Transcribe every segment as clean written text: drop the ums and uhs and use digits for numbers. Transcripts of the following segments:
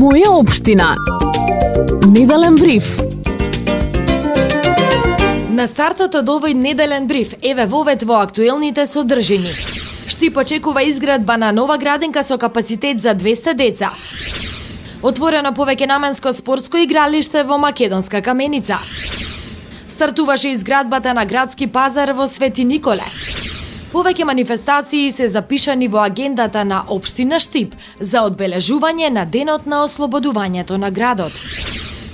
Моја општина. Неделен бриф. На стартот од овој неделен бриф, еве вовед во актуелните содржини. Штип очекува изградба на нова градинка со капацитет за 200 деца. Отворено повеќенаменско спортско игралиште во Македонска Каменица. Стартуваше изградбата на градски пазар во Свети Николе. Повеќе манифестации се запишани во агендата на општина Штип за одбележување на денот на ослободувањето на градот.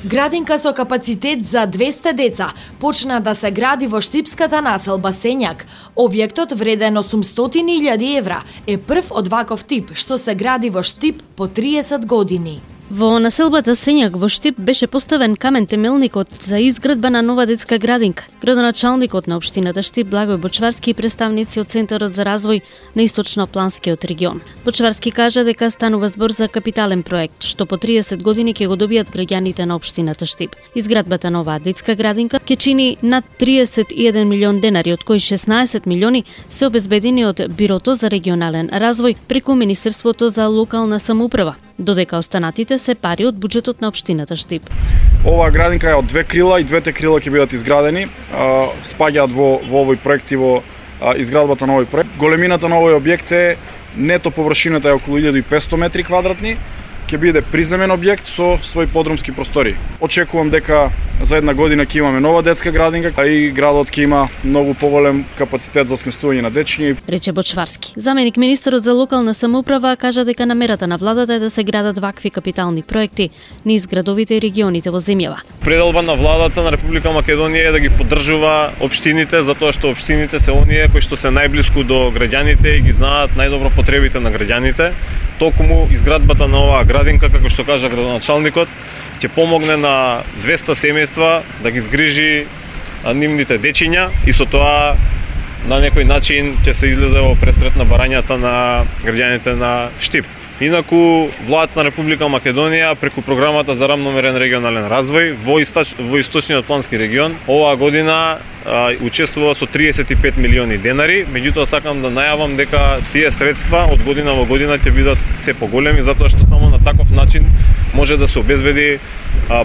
Градинка со капацитет за 200 деца почна да се гради во штипската населба Сењак. Објектот вреден 800.000 евра е прв од ваков тип што се гради во Штип по 30 години. Во населбата Сењак во Штип беше поставен камен темелникот за изградба на нова детска градинка. Градоначалникот на општината Штип Благој Бочварски и представници од Центарот за развој на Источно-Планскиот регион. Бочварски кажа дека станува збор за капитален проект, што по 30 години ќе го добијат граѓаните на општината Штип. Изградбата на оваа детска градинка ќе чини над 31 милион денари, од кои 16 милиони се обезбедени од Бирото за регионален развој преку Министерството за локална самоуправа, додека останатите се пари од буџетот на општината Штип. Оваа градинка е од две крила и двете крила ќе бидат изградени. Спаѓаат во овој проект и во изградбата на овој проект. Големината на овој објект е нето површината е околу 1500 метри квадратни. Ќе биде приземен објект со свој подрумски простори. Очекувам дека за една година ќе имаме нова детска градинка, а и градот ќе има многу поголем капацитет за сместување на дечиња. Рече Бочварски. Заменик министерот за локална самоуправа кажа дека намерата на владата е да се градат вакви капитални проекти низ градовите и регионите во земјава. Пределба на владата на Република Македонија е да ги поддржува општините, затоа што општините се оние кои што се најблиску до граѓаните и ги знаат најдобро потребите на граѓаните. Токму изградбата на оваа градинка, како што кажа градоначалникот, ќе помогне на 200 семејства да ги згрижи нивните дечиња и со тоа на некој начин ќе се излезе во пресрет на барањата на граѓаните на Штип. Инаку, владата на Република Македонија преку програмата за рамномерен регионален развој во Источниот плански регион оваа година учествува со 35 милиони денари, меѓутоа сакам да најавам дека тие средства од година во година ќе бидат се поголеми, затоа што само на таков начин може да се обезбеди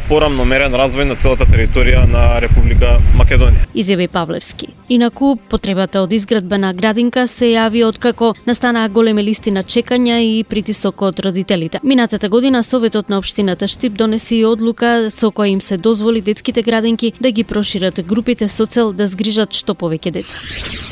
порамномерен развој на целата територија на Република Македонија. Изјави Павлевски. Инаку, потребата од изградба на градинка се јави откако настанаа големи листи на чекања и притисок од родителите. Минатата година Советот на општината Штип донесе и одлука со која им се дозволи детските градинки да ги прошират групите со цел да згрижат што повеќе деца.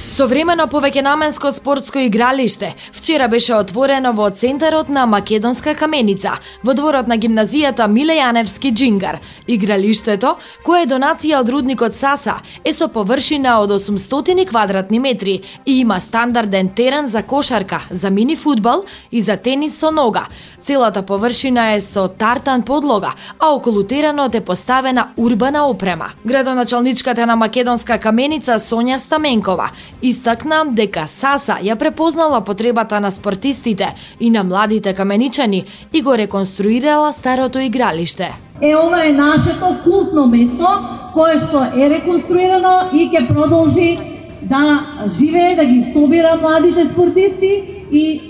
Современо повеќенаменско спортско игралиште вчера беше отворено во центарот на Македонска Каменица, во дворот на гимназијата Миле Јаневски Џингар. Игралиштето, кое е донација од рудникот Саса, е со површина од 800 квадратни метри и има стандарден терен за кошарка, за мини фудбал и за тенис со нога. Целата површина е со тартан подлога, а околу теренот е поставена урбана опрема. Градоначалничката на Македонска Каменица Сонја Стаменкова истакна дека Саса ја препознала потребата на спортистите и на младите каменичани и го реконструирала старото игралиште. Ова е нашето култно место кое што е реконструирано и ќе продолжи да живее, да ги собира младите спортисти и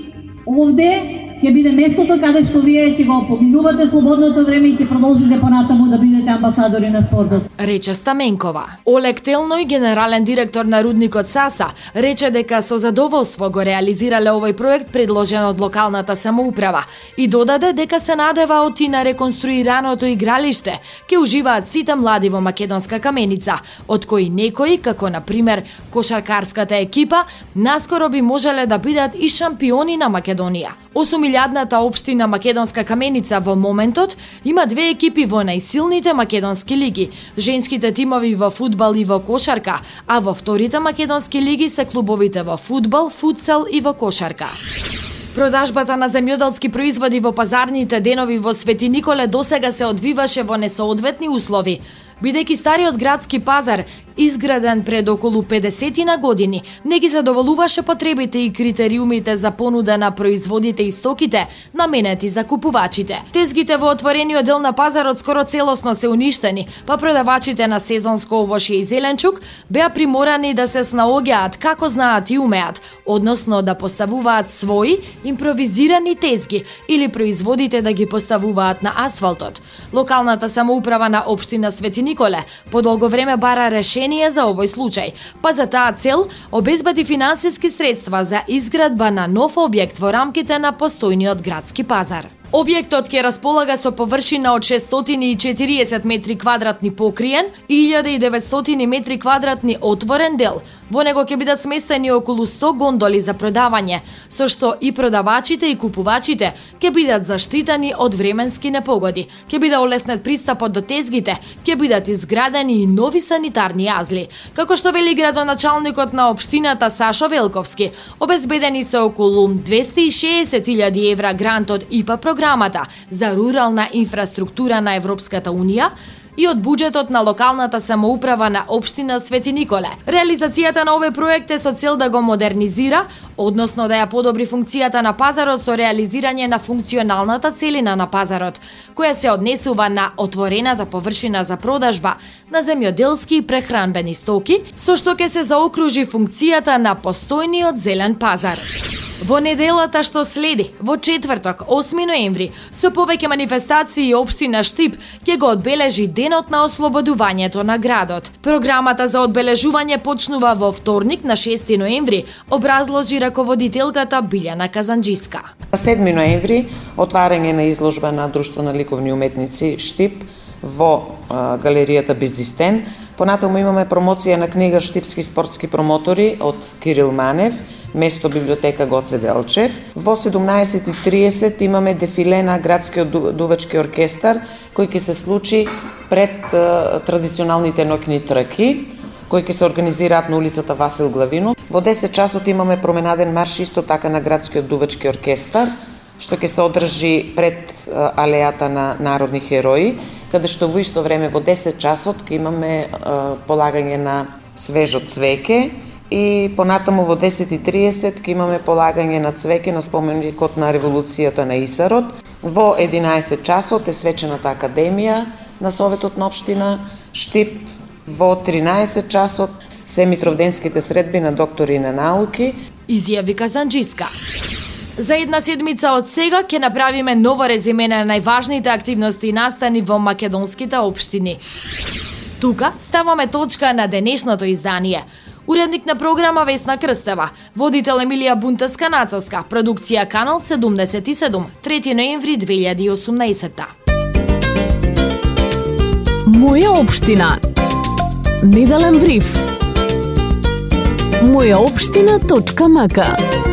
овде ќе биде местото каде што вие ќе го поминувате слободното време и ќе продолжите понатаму да бидете амбасадори на спортот. Рече Стаменкова. Олег Телној, генерален директор на рудникот Саса, рече дека со задоволство го реализирале овој проект предложен од локалната самоуправа и додаде дека се надеваат и на реконструираното игралиште ќе уживаат сите млади во Македонска Каменица, од кои некои, како на пример кошаркарската екипа, наскоро би можеле да бидат и шампиони на Македонија. 8.000-ната општина Македонска Каменица во моментот има две екипи во најсилните македонски лиги, женските тимови во фудбал и во кошарка, а во вторите македонски лиги се клубовите во фудбал, футсал и во кошарка. Продажбата на земјоделски производи во пазарните денови во Свети Николе досега се одвиваше во несоодветни услови, бидејќи стариот градски пазар изграден пред околу 50 години, не ги задоволуваше потребите и критериумите за понуда на производите и стоките наменети за купувачите. Тезгите во отворениот дел на пазарот скоро целосно се уништени, па продавачите на сезонско овошје и зеленчук беа приморани да се снаоѓаат како знаат и умеат, односно да поставуваат своји импровизирани тезги или производите да ги поставуваат на асфалтот. Локалната самоуправа на општина Свети Николе подолго време бара решение за овој случај, па за таа цел обезбеди финансиски средства за изградба на нов објект во рамките на постојниот градски пазар. Објектот ќе располага со површина од 640 метри квадратни покриен и 1900 метри квадратни отворен дел. Во него ќе бидат сместени околу 100 гондоли за продавање, со што и продавачите и купувачите ќе бидат заштитени од временски непогоди, ќе биде олеснет пристапот до тезгите, ќе бидат изградени и нови санитарни јазли. Како што вели градоначалникот на општината Сашо Велковски, обезбедени се околу 260.000 евра грант од ИПА програмата за рурална инфраструктура на Европската Унија и од буџетот на локалната самоуправа на општина Свети Николе. Реализацијата на овој проект е со цел да го модернизира, односно да ја подобри функцијата на пазарот со реализирање на функционалната целина на пазарот, која се однесува на отворената површина за продажба на земјоделски и прехранбени стоки, со што ќе се заокружи функцијата на постојниот зелен пазар. Во неделата што следи, во четврток, 8 ноември, со повеќе манифестации општина Штип ќе го одбележи денот на ослободувањето на градот. Програмата за одбележување почнува во вторник на 6 ноември, образложи раководителката Билјана Казанџиска. 7 ноември отварање на изложба на Друштво на ликовни уметници Штип во галеријата Безистен. Понатаму имаме промоција на книга Штипски спортски промотори од Кирил Манев, место библиотека Гоце Делчев. Во 17:30 имаме дефиле на градскиот дувачки оркестар, кој ќе се случи пред традиционалните ноќни трки, кои ќе се организираат на улицата Васил Главинов. Во 10 часот имаме променаден марш исто така на градскиот дувачки оркестар, што ќе се одржи пред алејата на народни херои, каде што во исто време во 10 часот ќе имаме полагање на свежо цвеќе и понатаму во 10:30 ќе имаме полагање на цвеќе на споменикот на револуцијата на Исарот. Во 11 часот е свечената академија на Советот на општина Штип. Во 13 часот се митровденските средби на доктори на науки. Изјави Казанџиска. За една седмица од сега ќе направиме ново резиме на најважните активности и настани во македонските општини. Тука ставаме точка на денешното издание. Уредник на програма Весна Крстева, водител Емилија Бунтеска-Нацовска, продукција Канал 77, 3 ноември 2018. Моја општина. Неделен бриф. Мојаопштина.мк